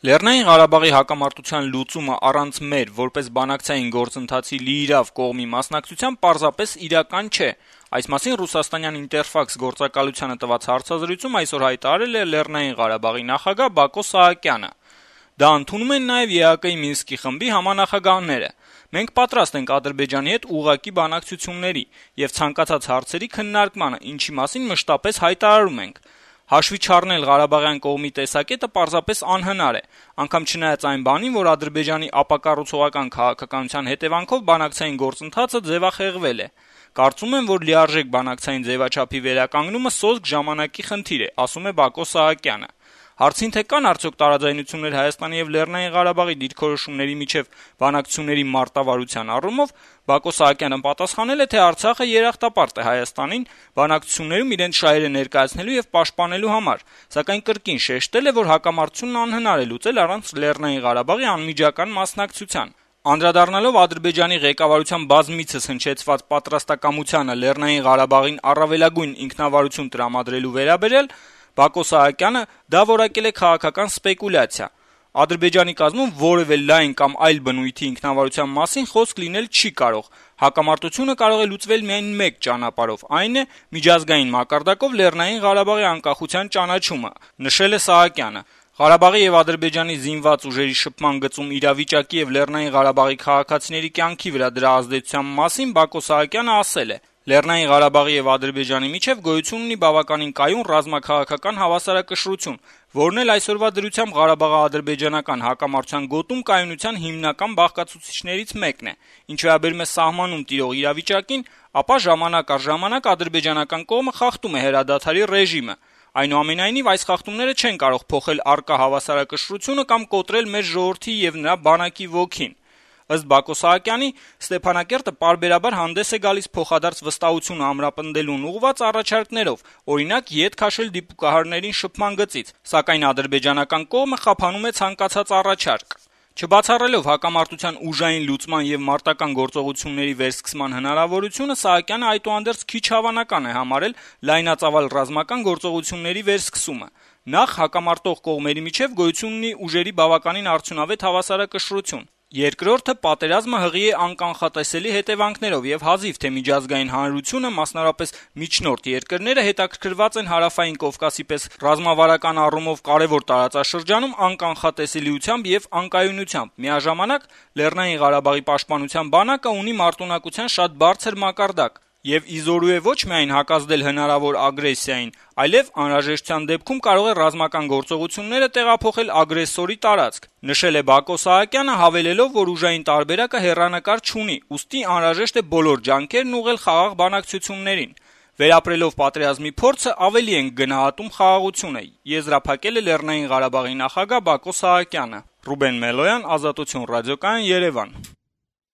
Լեռնային Ղարաբաղի հակամարտության լուծումը առանց մեր, որպես բանակցային գործընթացի լիիրավ կողմի մասնակցության պարզապես իրական չէ։ Այս մասին ռուսաստանյան Ինտերֆաքս գործակալությանը տված հարցազրույցում այսօր հայտարարել է Լեռնային Ղարաբաղի նախագահ Բակո Սահակյանը։ Դա ընդունում են նաև ԵԱԿ-ի Մինսկի խմբի համանախագահները։ Մենք պատրաստ ենք Ադրբեջանի հետ ուղղակի բանակցությունների եւ ցանկացած հարցերի քննարկմանը, ինչի մասին մշտապես հայտարարում ենք։ Հաշվի չառնել Ղարաբաղյան կողմի տեսակետը պարզապես անհնար է, անգամ չնայած այն բանին, որ Ադրբեջանի ապակառուցողական քաղաքականության հետևանքով բանակցային գործընթացը ձևախեղվել է։ Կարծում եմ, որ լիարժեք բանակցային ձևաչափի վերականգնումը սոսկ ժամանակի խնդիր է, ասում է Բակո Սահակյանը։ Հարցին թե կան արդյոք տարաձայնություններ Հայաստանի եւ Լեռնային Ղարաբաղի դիրքորոշումների միջև բանակցությունների մարտավարության առումով, Բակո Սահակյանը պատասխանել է, թե Արցախը երախտապարտ է Հայաստանին բանակցություններում իրենց շահերը ներկայացնելու եւ պաշտպանելու համար, սակայն կրկին շեշտել է, որ հակամարտությունն անհնար է լուծել առանց Լեռնային Ղարաբաղի անմիջական մասնակցության։ Անդրադառնալով Ադրբեջանի ղեկավարության բազմիցս հնչեցված պատրաստակամությանը Լեռնային Ղարաբաղին առավելագույն ինքնավարություն տրամադրելու վերաբերյալ, Բակո Սահակյանը դա որակել է քաղաքական սպեկուլյացիա։ Ադրբեջանի կազմում որևէ լայն կամ այլ բնույթի ինքնավարության մասին խոսք լինել չի կարող։ Հակամարտությունը կարող է լուծվել միայն մեկ ճանապարհով, այն է միջազգային մակարդակով Լեռնային Ղարաբաղի անկախության ճանաչումը, նշել է Սահակյանը։ Ղարաբաղի եւ Ադրբեջանի զինված ուժերի շփման գծում իրավիճակի եւ Լեռնային Ղարաբաղի քաղաքացիների կյանքի վրա դրա ազդեցության մասին Բակո Սահակյանը ասել է. Լեռնային Ղարաբաղի եւ Ադրբեջանի միջև գոյություն ունի բավականին կայուն ռազմաքաղաքական հավասարակշռություն, որն էլ այսօրվա դրությամբ Ղարաբաղա-ադրբեջանական հակամարտության գոտում կայունության հիմնական բաղկացուցիչներից մեկն է։ Ինչ վերաբերում է սահմանում տիրող իրավիճակին, ապա ժամանակ առ ժամանակ ադրբեջանական կողմը խախտում է հրադադարի ռեժիմը։ Այնուամենայնիվ, այս խախտումները չեն կարող փոխել առկա հավասարակշռությունը կամ կոտրել մեր ժողովրդի եւ նրա բանակի ոգին։ Ըստ Բակո Սահակյանի, Ստեփանակերտը պարբերաբար հանդես է գալիս փոխադարձ վստահությունը ամրապնդելուն ուղղված առաջարկներով, օրինակ յետ քաշել դիպուկահարներին շփման գծից, սակայն ադրբեջանական կողմը խափանում է ցանկացած առաջարկ։ Չբացառելով հակամարտության ուժային լուծման եւ մարտական գործողությունների վերսկսման հնարավորությունը, Սահակյանը այդուհանդերձ քիչ հավանական է համարել լայնածավալ ռազմական գործողությունների վերսկսումը։ Նախ հակամարտող կողմերի միջև գոյություն ունի ուժերի բավականին արդյունավետ հավասարակշռություն։ Երկրորդը պատերազմը հղի է անկանխատեսելի հետևանքներով եւ հազիվ թե միջազգային հանրությունը, մասնավորապես միջնորդ երկրները հետաքրքրված են Հարավային Կովկասի պես ռազմավարական առումով կարեւոր տարածաշրջանում անկանխատեսելիությամբ եւ անկայունությամբ։ Միաժամանակ Լեռնային Ղարաբաղի պաշտպանության բանակը ունի մարտունակության շատ բարձր մակարդակ եւ իզորու է ոչ միայն հակազդել հնարավոր ագրեսիային, այլև անհրաժեշտության դեպքում կարող է ռազմական գործողությունները տեղափոխել ագրեսորի տարածք, նշել է Բակո Սահակյանը, հավելելով, որ ուժային տարբերակը հեռանկար չունի, ուստի անհրաժեշտ է բոլոր ջանքերն ուղղել խաղաղ բանակցություններին։ Վերապրելով պատերազմի փորձը ավելի ենք գնահատում խաղաղությունը, եզրափակել է Լեռնային Ղարաբաղի նախագահ Բակո Սահակյանը։ Ռուբեն Մելոյան, Ազատություն ռադիոկայան, Երևան։